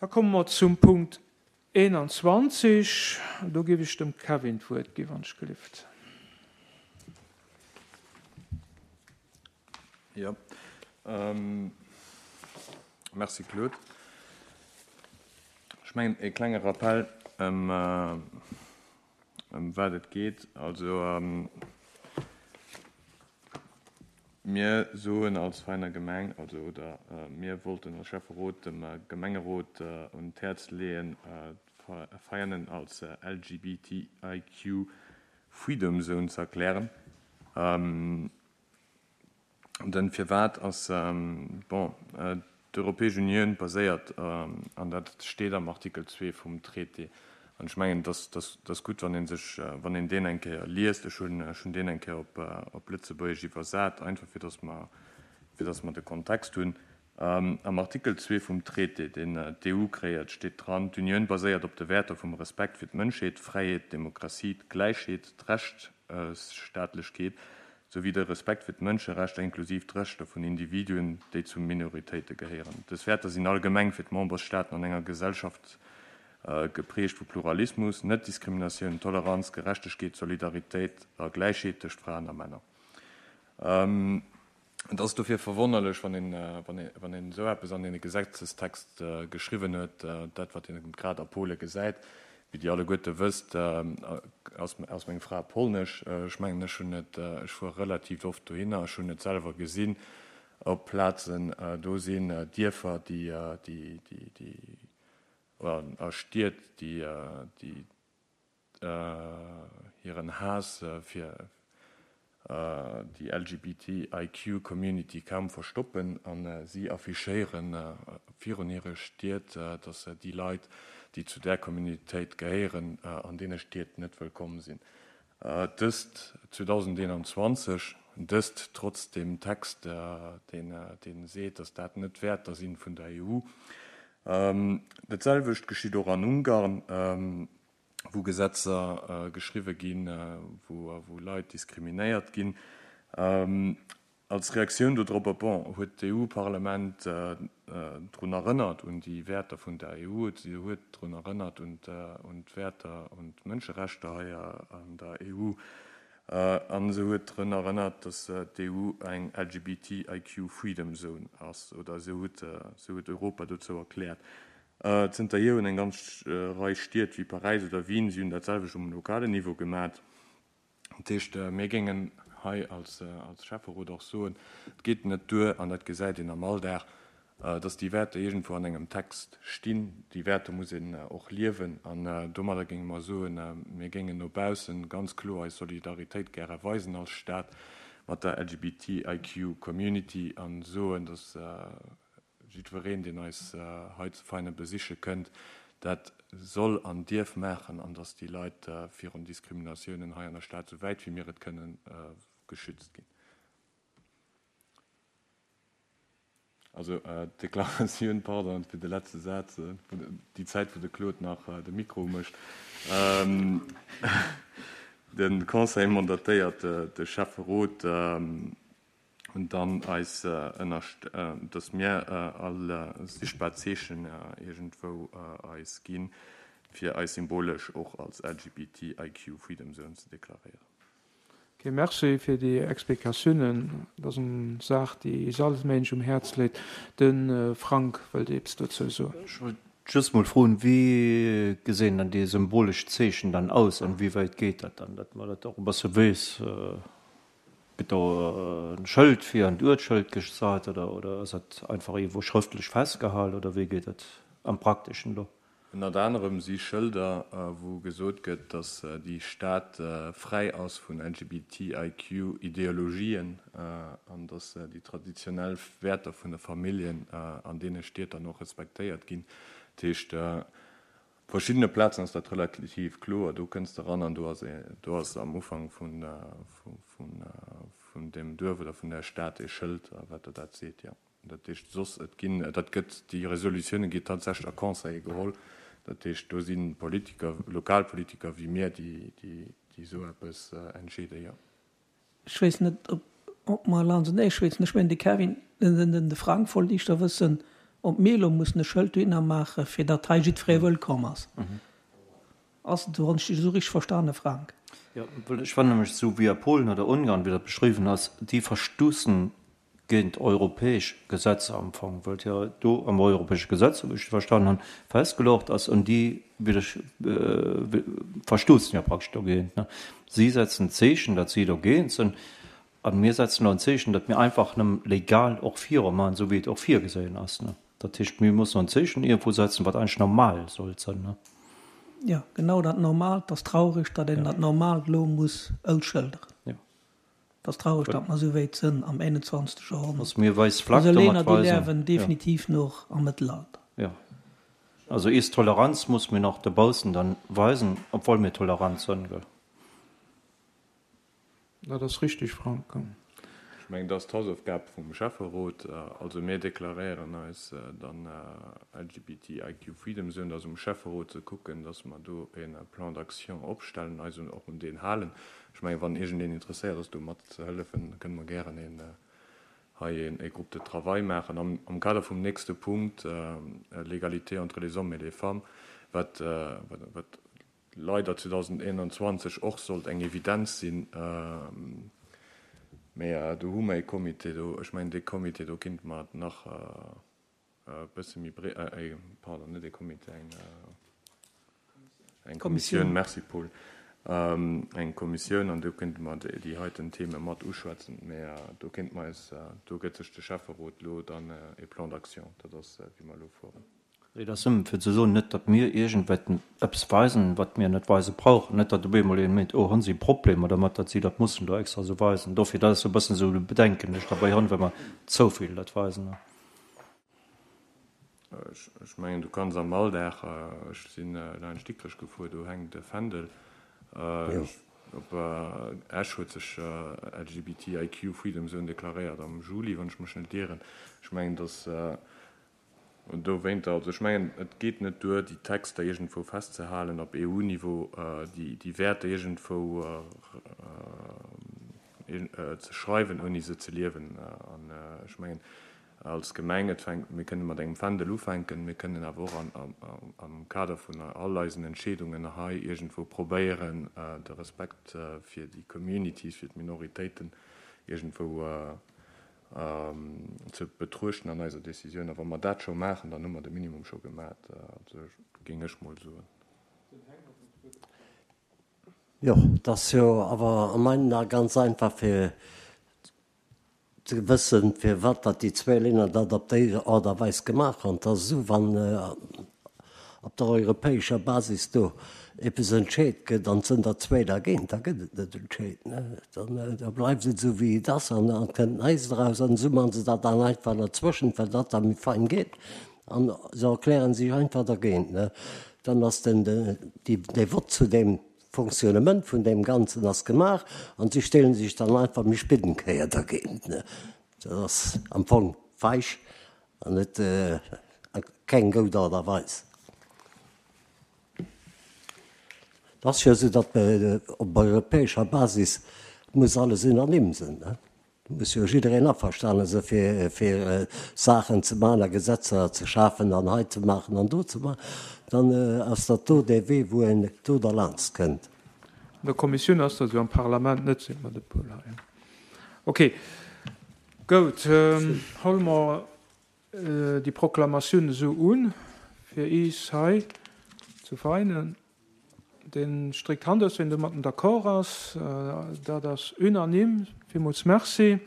Da komme mer zum Punkt 21. Do géif ech dem Kevin d'Wuert ginn, wann ech gelift. Jo, merci Claude. Ech mengen e klenge Rappell ëm wat et geet. Also mir soen als Veiner Gemeng, also oder mir wollten als Schäfferot dem Gemengerot un d'Häerz leeën, Veianen als LGBTIQ Freedom Zone ze erklären. Den Firwat ass, bon, d'Europäesch Unioun baséiert, an dat steet am Artikel 2 vum Traité, an ech mengen, et ass gutt, wann ee sech, wann een deen eng Kéier liest, ech hunn, ech hunn deen eng Kéier op, op Lëtzebuergesch iwwersat, einfach fir datt mer, fir datt mer de Kontext hunn. Am Artikel 2 vum Traité, deen d'EU kreéiert, steet dran, D'Unioun baséiert op de Wäerter vum Respekt fir d'Mënschheet, d'Fräiheet, d'Demokratie, d'Gläichheet, d'Rechtsstaatlechkeet souwéi de Respekt fir d'Mënscherechter, inklusiv d'Rechter vun Individuen, déi zu Minoritéite gehéieren. Dës Wäerter sinn allgemeng fir d'Membersstaaten an enger Gesellschaft geprägt vu Pluralismus, Net-Diskriminatioun, Toleranz, Gerechtegkeet, Solidaritéit a Gläichheet tëscht Fraen a Männer. Et ass dofir verwonnerlech, wann een, wann een esou eppes an ee Gesetzestext geschriwwen huet, dat wat een grad a Pole gesäit. Wéi Dir alleguerte wësst, ass, ass meng Fra polnesch. Ech mengen, ech hunn et, ech fuere relativ oft dohinner, ech hunn et selwer gesinn op Plazen, do sinn Dierfer, déi, déi, déi, déi, a Stied, déi, déi, hiren Haass fir déi LGBTIQ Community kaum verstoppen a si affichéiere virun hire Stied, datt déi Leit, déi zu där Communitéit gehéieren, an deene Stied net wëllkomm sinn. Dëst 2021, dëst trotz dem Text, dee seet, datt dat net d'Wäerter sinn vun der EU. Dat selwecht geschitt och an Ungarn, wou Gesetzer geschriwwe ginn, wou Leit diskriminéiert ginn. Als Reaktioun dodropper, bon, huet d'EU-Parlament drun erënnert un déi Wäerter vun der EU, si huet drun erënnert un d'Wäerter, un d'Mënscherechter hei an der EU an se huet drun erënnert, datt d'EU eng LGBTIQ Freedom Zone ass, oder esou huet, esou huet Europa dozou erkläert. Zënterhier hunn eng ganz Rei Stied wéi Paräis oder Wien, si hunn dat selwecht um lokalen Niveau gemat. Dat heescht, mir géingen hei als Schäfferot och soen, et geet net duer, an dat gesäit een am Alldag, dass déi Wäerter iergendwou an engem Text stinn. Déi Wäerter muss een och liewen. An domadder géinge mer soen, mir géingen no bausse ganz kloer eis Solidaritéit gäre weisen als Stad mat der LGBTIQ Community a soen, dass jiddwereen, deen eis hei zu Veinen besiche kënnt, dat soll an dierf maachen an dass déi Leit virun Diskriminatiounen hei an der Stad, esou wäit wéi mir et kënnen, geschützt ginn. Also d'Deklaratioun, pardon fir de letzte Saz, déi Zäit wou de Claude nach de Mikro umécht, de Conseil mandatéiert de Schäfferot dann eis ënnerst, datt mir all sichtbar Zeechen iergendwou eis ginn, fir eis symbolesch och als LGBTIQ Freedom Zone ze deklaréieren. Ok, merci fir déi Explikatiounen. Dat ass eng Saach, déi is all Méinsch um Häerz léit. De Frank wëllt eppes dozou soen. Ech wollt just mol froen, wéi gesinn dann déi symbolesch Zeechen dann aus an wéi wäit geet dat dann, datt mer dat och e bësse weess? Gëtt do e Schëld fir an d'Uertsschëld gesat oder oder ass dat einfach iergendwou schrëftlech festgehal oder wéi geet dat am Prakteschen do? Ënnert anerem si Schëlder, wou gesot gëtt, datt déi Stad fräi ass vun LGBTIQ-Ideologien an datt déi traditionell Wäerter vun de Familljen an deene Stied dann och respektéiert ginn. Dat heescht, op verschiddene Plazen ass dat relativ kloer, do kënns de eran an do ass do ass am Ufank vun deem Duerf oder vun där Stad ee Schëld, wat der dat seet, jo. Dat heescht, soss, et ginn, dat gëtt, déi Resolutioune gi tatsächlech a Conseile geholl. Dat heescht, do si Politiker, Lokalpolitiker wéi mir, déi, déi, déi esou eppes entscheeden, jo. Ech weess net, ob, ob mer lansenee schwätzen. Ech mengen, de Kevin, den, den, de Frank wollt éischter wëssen. Ob mir elo mussen e Schëld dohinner maachen, fir datt hei jiddweree wëllkomm ass. Ass et esou? Hunn ech dech esou richteg verstane, Frank? Jo, well ech fannen nämlech esou wéi a Polen oder Ungarn, wéi dat beschriwwen ass, déi verstoussen géint europäesch Gesetzer am Fong, well et jo do am europäesche Gesetz, esou wéi ech et verstanen hunn, festgeluecht ass, an déi verstoussen jo praktesch dogéint. Si setzen d'Zeechen, datt si dogéint sinn, A mir setzen elo en Zeechen, datt mir einfach nëmme legal och virumachen, esou wéi et och virgesehen ass. Dat heescht, mir mussen en Zeechen iergendwou setzen, wat eigentlech normal sollt sinn. Jo, genau dat Normaalt. Et ass traureg, datt een dat Normaalt elo muss ausschëlderen. Et ass traureg, datt mer esou wéit sënn am 21. Joerhonnert. Dass mir eis Flagg domat weisen. Esou Länner, déi liewen definitiv nach am Mëttelalter. Jo. Also eis Toleranz muss mir nach dobaussen dann weisen, obwohl mir tolerant sënn, gell. Dat ass richtig, Frank. Ech mengen, dat ass d'Hausaufgab vum Schäfferot. Also mir deklaréieren eis dann LGBTIQ Freedom Zone. Dat ass um Schäfferot ze kucken, dass mer do e Plan d'action opstellen, eis och un deen halen. Ech mengen, wann iergendeen interesséiert ass, do matzehëllefen, kënne mer gären een hei e Groupe de travail maachen am Kader vum nächste Punkt, l'égalité entre les hommes et les femmes, wat leider 2021 och sollt eng Evidenz sinn, mä do hu mer ee Comité do, ech mengen dee Comité do kinnte mer et nach e bësse méi bree, pardon, net ee Comité, eng, eng Kommissioun, merci Paul, eng Kommissioun an do kinnte mer déi heiten Theme mat uschwätzen, mä do kinnte mer eis, do gëtt sech de Schäfferot elo dann ee Plan d'action, dat ass wéi mer elo fueren. Et ass nëmmen fir ze soen, net datt mir iergendwäiten eppes weisen, wat mir net weise brauchen, net datt op eemol een mengt, oh, hu si Problemer dermat, datt si dat mussen do extra esou weisen. Dofir, dat ass esou e bëssen esou de Bedenken, deen ech derbäi hunn, wa mer zouvill dat weisen. Ech mengen, du kanns am Alldag, ech si laanscht Dikrech gefuer, do hänkt e Fändel. Op Esch huet sech LGBTIQ Freedom Zone deklaréiert am Juli, wann ech mech net ieren. Ech mengen, datt Dowéinter, also ech mengen, et geet net duer, déi Texter iergendwou festzehalen op EU-Niveau, déi Wäerter iergendwou ze schreiwen, ouni se ze liewen. An ech mengen, als Gemeng, et fänkt, mir kënne mat engem Fändel ufänken, mir kënnen awer och am Kader vun all eisen Entscheedungen hei iergendwou probéieren, de Respekt fir déi Communities, fir d'Minoritéiten iergendwou ze betruechten an eiser Décisioun. A wa mer dat scho maachen, dann hu mer de Minimum scho gemat, géing ech mol soen. Jo, et ass jo awer a meinen Ae ganz einfach fir ze wëssen, firwat datt déi zwéi Länner dat op déi Aart a Weis gemaach hunn. Et ass esou, wann op der europäescher Basis do eppes entscheet gëtt an et sënn der zwéi dergéint, da gëtt et net entscheet. Dann da bleift et esou wéi et ass an et kënnt näischt eraus. An esou maache se dat dann einfach derzwëschent, well dat da méi fein geet an se erkläre sech einfach dergéint. Dann ass den dee Vott zu deem Fonctionnement vun deem Ganzen ass gemaach an si stelle sech dann einfach méi spéit eng Kéier dergéint. Dat ass am Fong feig An net a keng goud Aart a Weis. Et ass jo esou, datt op europäescher Basis muss alles unanime sinn. Do muss jo jiddereen averstane sinn, fir fir Saachen ze maachen a Gesetzer ze schafen an hei ze maachen an do ze maachen. Dann ass dat do dee Wee, wou een do derlaanscht kënnt. An der Kommissioun ass dat esou, am Parlament net, seet mer de Paul hei. Okay. Goud, hole mer déi Proklamatioun esou un, fir iis hei zu Veinen. Deen stréckt d'Hand aus, ween domatten d'accord ass. Dat ass unanime. Villmools Merci.